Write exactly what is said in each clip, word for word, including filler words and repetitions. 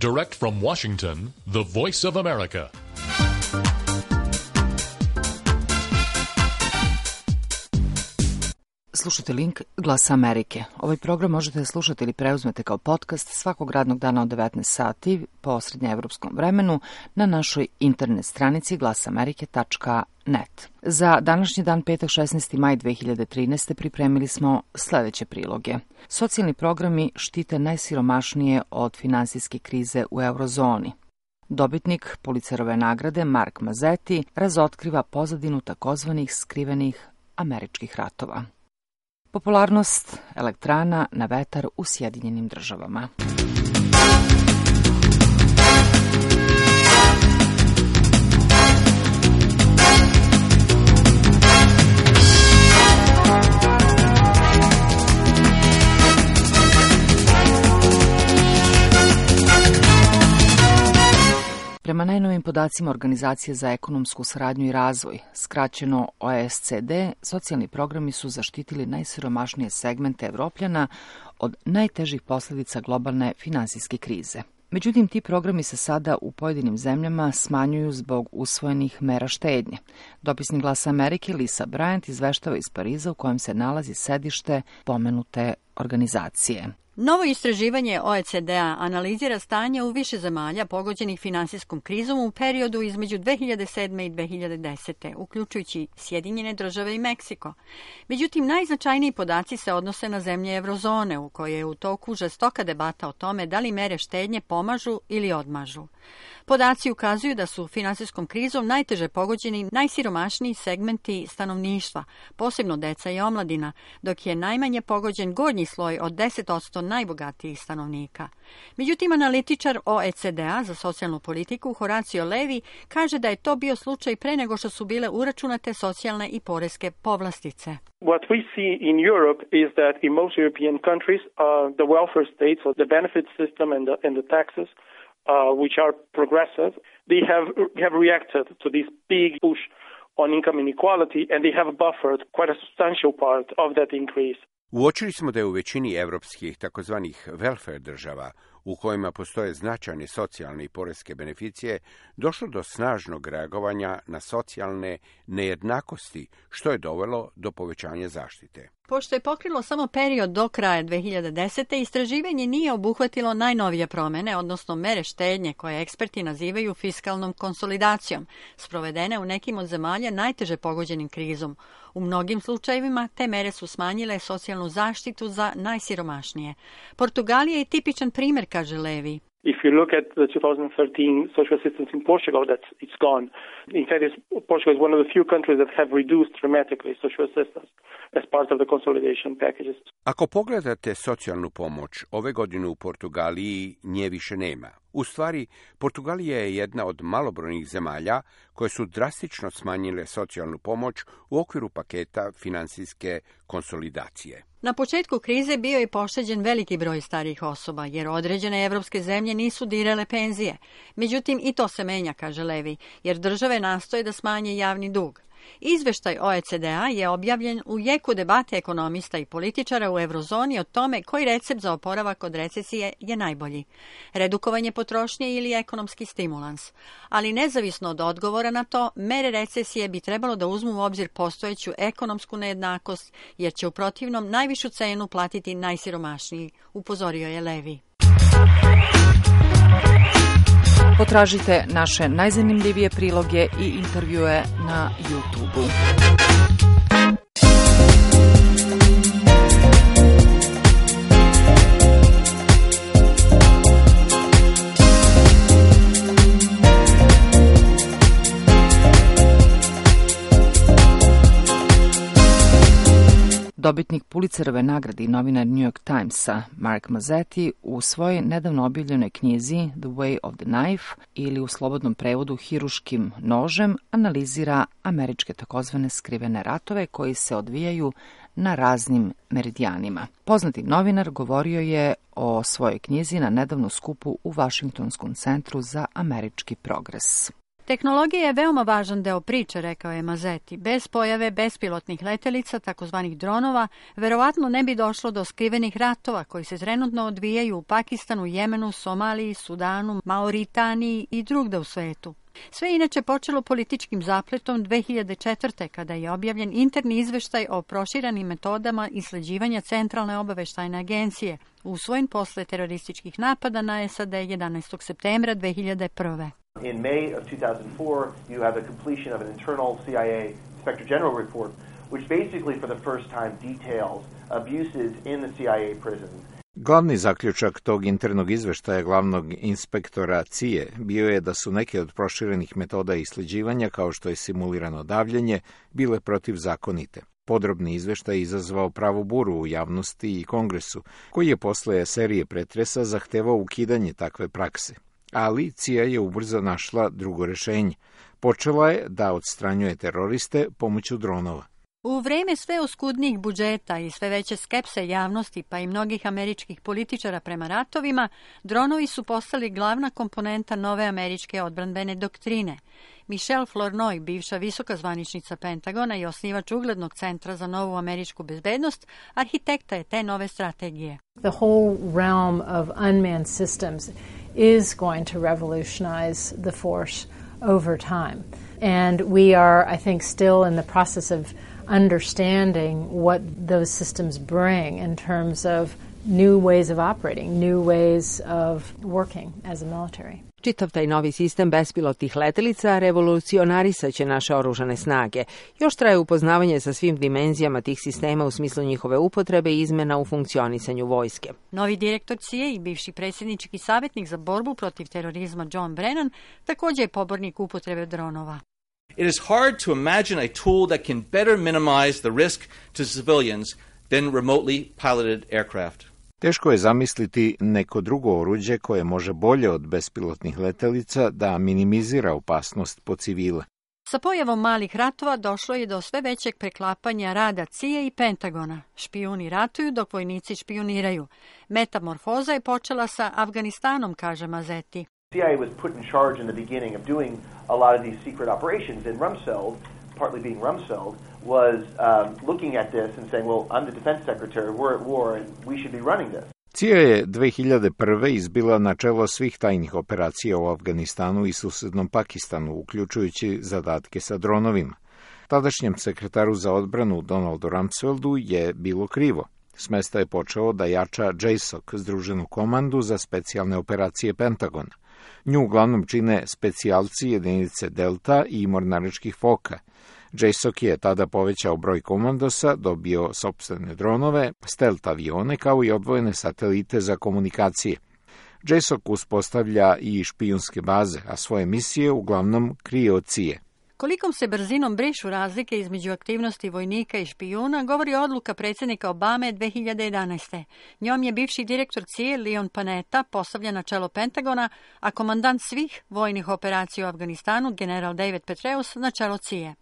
Direct from Washington, the Voice of America. Slušate Link Glasa Amerike. Ovaj program možete slušati ili preuzmete kao podcast svakog radnog dana od devetnaest sati po srednjeevropskom vremenu na našoj internet stranici glasamerike tačka net. Za današnji dan, petak šesnaesti maj dve hiljade trinaeste. pripremili smo sledeće priloge. Socijalni programi štite najsiromašnije od finansijske krize u eurozoni. Dobitnik Pulitzerove nagrade Mark Mazzetti razotkriva pozadinu takozvanih skrivenih američkih ratova. Popularnost elektrana na vetar u Sjedinjenim državama. Prema najnovim podacima Organizacije za ekonomsku saradnju i razvoj, skraćeno O E C D, socijalni programi su zaštitili najsiromašnije segmente Evropljana od najtežih posljedica globalne finansijske krize. Međutim, ti programi se sada u pojedinim zemljama smanjuju zbog usvojenih mera štednje. Dopisnik Glasa Amerike Lisa Bryant izveštava iz Pariza u kojem se nalazi sedište pomenute organizacije. Novo istraživanje O E C D-a analizira stanje u više zemalja pogođenih finansijskom krizom u periodu između dve hiljade sedme i dve hiljade desete. uključujući Sjedinjene države i Meksiko. Međutim, najznačajniji podaci se odnose na zemlje eurozone, u kojoj je u toku žestoka debata o tome da li mere štednje pomažu ili odmažu. Podaci ukazuju da su finansijskom krizom najteže pogođeni najsiromašniji segmenti stanovništva, posebno deca i omladina, dok je najmanje pogođen gornji sloj od deset posto najbogatijih stanovnika. Međutim, analitičar O E C D-a za socijalnu politiku Horacio Levi kaže da je to bio slučaj pre nego što su bile uračunate socijalne i poreske povlastice. What we see in Europe is that in most European countries, uh, the welfare states, or the benefit system and the, and the taxes, Uh, which are progressive, they have have reacted to this big push on income inequality, and they have buffered quite a substantial part of that increase. Uočili smo da je u većini evropskih takozvanih welfare država, u kojima postoje značajne socijalne i poreske beneficije, došlo do snažnog reagovanja na socijalne nejednakosti, što je dovelo do povećanja zaštite. Pošto je pokrilo samo period do kraja dve hiljade desete. istraživanje nije obuhvatilo najnovije promene, odnosno mere štednje koje eksperti nazivaju fiskalnom konsolidacijom, sprovedene u nekim od zemalja najteže pogođenim krizom. U mnogim slučajevima te mere su smanjile socijalnu zaštitu za najsiromašnije. Portugalija je tipičan primjer, kaže Levi. If you look at the twenty thirteen social assistance in Portugal, that's it's gone. In fact, it's, Portugal is one of the few countries that have reduced dramatically social assistance as part of the consolidation packages. Ako pogledate socijalnu pomoć, ove godine u Portugaliji nje više nema. U stvari, Portugalija je jedna od malobrojnih zemalja koje su drastično smanjile socijalnu pomoć u okviru paketa finansijske konsolidacije. Na početku krize bio je pošteđen veliki broj starijih osoba, jer određene evropske zemlje nisu dirale penzije. Međutim, i to se menja, kaže Levi, jer države nastoje da smanje javni dug. Izveštaj O E C D-a je objavljen u jeku debate ekonomista i političara u eurozoni o tome koji recept za oporavak od recesije je najbolji. Redukovanje potrošnje ili ekonomski stimulans. Ali nezavisno od odgovora na to, mere recesije bi trebalo da uzmu u obzir postojeću ekonomsku nejednakost, jer će u protivnom najvišu cenu platiti najsiromašniji, upozorio je Levi. Potražite naše najzanimljivije priloge i intervjue na YouTube-u. Dobitnik Pulitzerove nagrade i novinar New York Timesa Mark Mazzetti u svojoj nedavno objavljenoj knjizi The Way of the Knife ili u slobodnom prevodu Hiruškim nožem analizira američke takozvane skrivene ratove koji se odvijaju na raznim meridijanima. Poznati novinar govorio je o svojoj knjizi na nedavnom skupu u Vašingtonskom centru za američki progres. Tehnologija je veoma važan deo priče, rekao je Mazeti. Bez pojave bespilotnih letelica, takozvanih dronova, verovatno ne bi došlo do skrivenih ratova koji se trenutno odvijaju u Pakistanu, Jemenu, Somaliji, Sudanu, Mauritaniji i drugde u svetu. Sve inače počelo političkim zapletom dve hiljade četvrte. kada je objavljen interni izveštaj o proširanim metodama isleđivanja Centralne obaveštajne agencije, usvojen posle terorističkih napada na S A D jedanaestog septembra dve hiljade prve. In May of two thousand four, you have the completion of an internal C I A Inspector General report, which basically for the first time details abuses in the C I A prisons. Glavni zaključak tog internog izveštaja glavnog inspektora C I A bio je da su neke od proširenih metoda isleđivanja, kao što je simulirano davljenje, bile protivzakonite. Podrobni izveštaj izazvao pravu buru u javnosti i Kongresu, koji je posle serije pretresa zahtevao ukidanje takve prakse. Ali C I A je ubrzo našla drugo rešenje. Počela je da odstranjuje teroriste pomoću dronova. U vreme sve oskudnijih budžeta i sve veće skepse javnosti, pa i mnogih američkih političara prema ratovima, dronovi su postali glavna komponenta nove američke odbrambene doktrine. Michelle Flournoy, bivša visoka zvaničnica Pentagona i osnivač uglednog centra za novu američku bezbednost, arhitekta je te nove strategije. The whole realm of unmanned systems is going to revolutionize the force over time. And we are, I think, still in the process of understanding what those systems bring in terms of new ways of operating, new ways of working as a military. Čitav taj novi sistem bespilotnih letelica revolucionarisaće naše oružane snage. Još traje upoznavanje sa svim dimenzijama tih sistema u smislu njihove upotrebe i izmena u funkcionisanju vojske. Novi direktor C I A i bivši predsjednički savjetnik za borbu protiv terorizma John Brennan također je pobornik upotrebe dronova. It is hard to imagine a tool that can better minimize the risk to civilians than remotely piloted aircraft. Teško je zamisliti neko drugo oruđe koje može bolje od bespilotnih letelica da minimizira opasnost po civile. Sa pojavom malih ratova došlo je do sve većeg preklapanja rada C I A i Pentagona. Špijuni ratuju dok vojnici špijuniraju. Metamorfoza je počela sa Afganistanom, kaže Mazeti. C I A was put in charge in the beginning of doing a lot of these secret operations, and Rumsfeld, partly being Rumsfeld, was um, looking at this and saying, well, I'm the defense secretary, we're at war, and we should be running this. C I A je dve hiljade prve izbila na čelo svih tajnih operacija u Afganistanu i susednom Pakistanu, uključujući zadatke sa dronovima. Tadašnjem sekretaru za odbranu Donaldu Rumsfeldu je bilo krivo. S mesta je počeo da jača J S O C, Združenu komandu za specijalne operacije Pentagona. Nju uglavnom čine specijalci jedinice Delta i mornaričkih foka. J S O C je tada povećao broj komandosa, dobio sopstvene dronove, stealth avione kao i odvojene satelite za komunikacije. J S O C uspostavlja i špijunske baze, a svoje misije uglavnom krije od C I A. Kolikom se brzinom brišu razlike između aktivnosti vojnika i špijuna govori odluka predsjednika Obame dve hiljade jedanaeste. Njom je bivši direktor C I A Leon Panetta postavljen na čelo Pentagona, a komandant svih vojnih operacija u Afganistanu, general David Petraeus, na čelo C I A.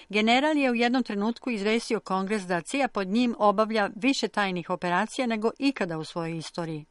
General je u jednom trenutku izvestio Kongres da C I A pod njim obavlja više tajnih operacija nego ikada u svojoj istoriji.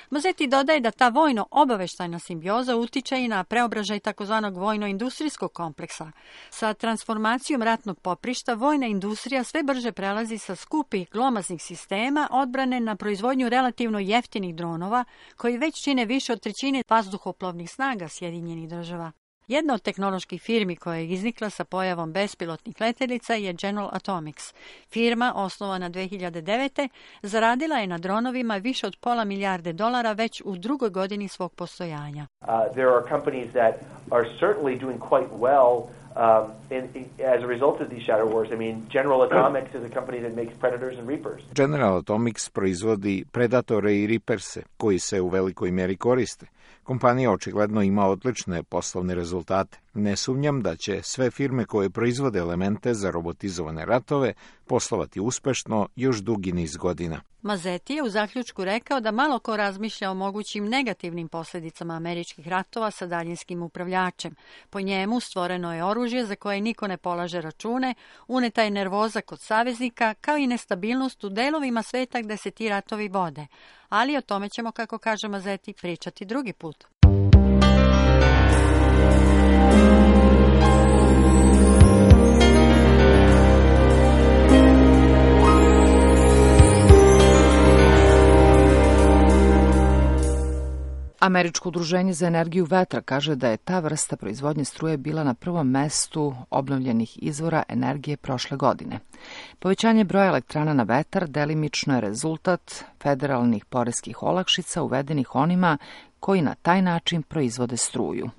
Mazeti dodaje da ta vojno-obaveštajna simbioza utiče i na preobražaj takozvanog vojno-industrijskog kompleksa. Sa transformacijom ratnog poprišta vojna industrija sve brže prelazi sa skupih glomaznih sistema odbrane na proizvodnju relativno jeftinih dronova koji već čine više od trećine vazduhoplovnih snaga Sjedinjenih država. Jedna od tehnoloških firmi koja je iznikla sa pojavom bespilotnih letelica je General Atomics. Firma, osnovana dve hiljade devete. zaradila je na dronovima više od pola milijarde dolara već u drugoj godini svog postojanja. Uh, there are companies that are certainly doing quite well um, in, in, as a result of these shadow wars. I mean, General Atomics is a company that makes Predators and Reapers. General Atomics proizvodi Predatore i Reaperse, koji se u velikoj mjeri koriste. Kompanija očigledno ima odlične poslovne rezultate. Ne sumnjam da će sve firme koje proizvode elemente za robotizovane ratove poslovati uspešno još dugi niz godina. Mazeti je u zaključku rekao da malo ko razmišlja o mogućim negativnim posljedicama američkih ratova sa daljinskim upravljačem. Po njemu stvoreno je oružje za koje niko ne polaže račune, uneta je nervoza kod saveznika, kao i nestabilnost u delovima sveta gde se ti ratovi vode. Ali o tome ćemo, kako kaže Mazeti, pričati drugi put. Američko udruženje za energiju vetra kaže da je ta vrsta proizvodnje struje bila na prvom mestu obnovljenih izvora energije prošle godine. Povećanje broja elektrana na vetar delimično je rezultat federalnih poreskih olakšica uvedenih onima koji na taj način proizvode struju.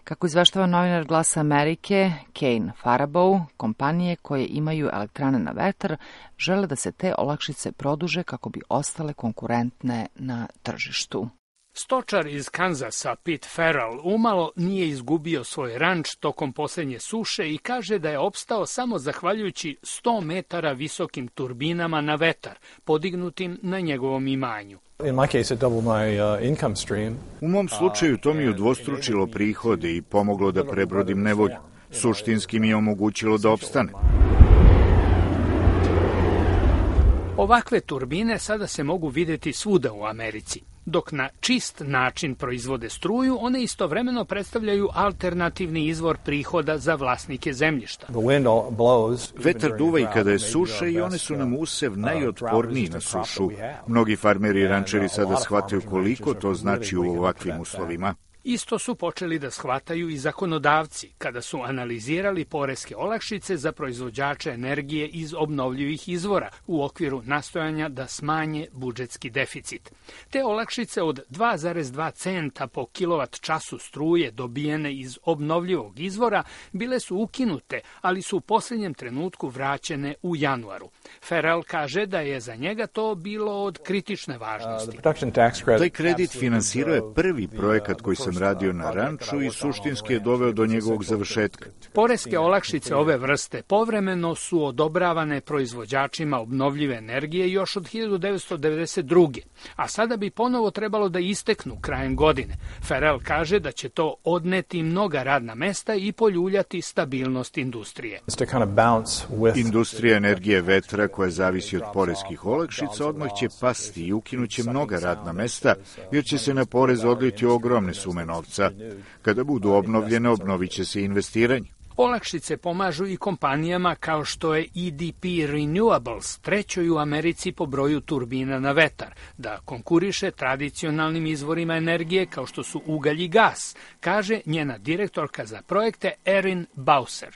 Kako izveštava novinar Glasa Amerike, Kane Farabaugh, kompanije koje imaju elektrane na vetar žele da se te olakšice produže kako bi ostale konkurentne na tržištu. Stočar iz Kanzasa, Pete Farrell, umalo nije izgubio svoj ranč tokom posljednje suše i kaže da je opstao samo zahvaljujući sto metara visokim turbinama na vetar, podignutim na njegovom imanju. U mom slučaju to mi je udvostručilo prihode i pomoglo da prebrodim nevolju. Suštinski mi je omogućilo da opstanem. Ovakve turbine sada se mogu videti svuda u Americi. Dok na čist način proizvode struju, one istovremeno predstavljaju alternativni izvor prihoda za vlasnike zemljišta. Vetar duva i kada je suša i one su nam usev najotporniji na sušu. Mnogi farmeri i rančeri sada shvataju koliko to znači u ovakvim uslovima. Isto su počeli da shvataju i zakonodavci kada su analizirali poreske olakšice za proizvođače energije iz obnovljivih izvora u okviru nastojanja da smanje budžetski deficit. Te olakšice od dva zarez dva centa po kilovat času struje dobijene iz obnovljivog izvora bile su ukinute, ali su u posljednjem trenutku vraćene u januaru. Farrell kaže da je za njega to bilo od kritične važnosti. Taj kredit finansirao je prvi projekat koji sam radio na ranču i suštinski je doveo do njegovog završetka. Poreske olakšice ove vrste povremeno su odobravane proizvođačima obnovljive energije još od hiljadu devetsto devedeset druge. a sada bi ponovo trebalo da isteknu krajem godine. Farrell kaže da će to odneti mnoga radna mesta i poljuljati stabilnost industrije. Industrija energije vetra koja zavisi od poreskih olakšica odmah će pasti i ukinuće mnoga radna mesta, jer će se na porez odliti ogromne sume novca. Kada budu obnovljene, obnovit će se investiranje. Olakšice pomažu i kompanijama kao što je E D P Renewables, trećoj u Americi po broju turbina na vetar, da konkuriše tradicionalnim izvorima energije kao što su ugalj i gas, kaže njena direktorka za projekte Erin Bowser.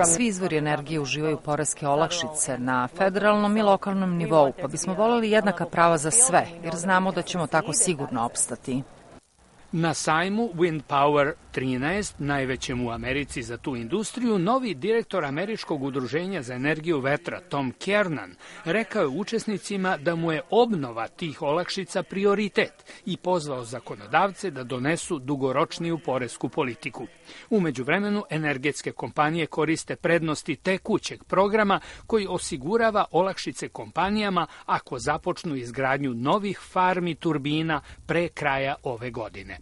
Svi izvori energije uživaju poreske olakšice na federalnom i lokalnom nivou, pa bismo voleli jednaka prava za sve, jer znamo da ćemo tako sigurno opstati. Na sajmu Wind Power trinaest, najvećem u Americi za tu industriju, novi direktor Američkog udruženja za energiju vetra Tom Kernan rekao je učesnicima da mu je obnova tih olakšica prioritet i pozvao zakonodavce da donesu dugoročniju poresku politiku. U međuvremenu, energetske kompanije koriste prednosti tekućeg programa koji osigurava olakšice kompanijama ako započnu izgradnju novih farmi turbina pre kraja ove godine.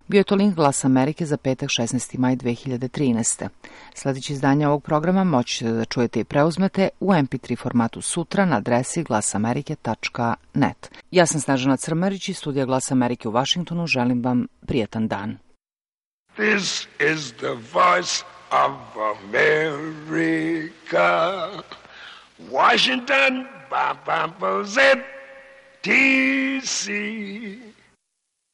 Bio je to link Glasa Amerike za petak šesnaesti maj dve hiljade trinaeste. Sledeće izdanje ovog programa moći ćete da čujete i preuzmete u em pe tri formatu sutra na adresi glasamerike tačka net. Ja sam Snežana Crmarić iz studija Glasa Amerike u Vašingtonu. Želim vam prijatan dan. This is the voice of America. Washington, Z T C.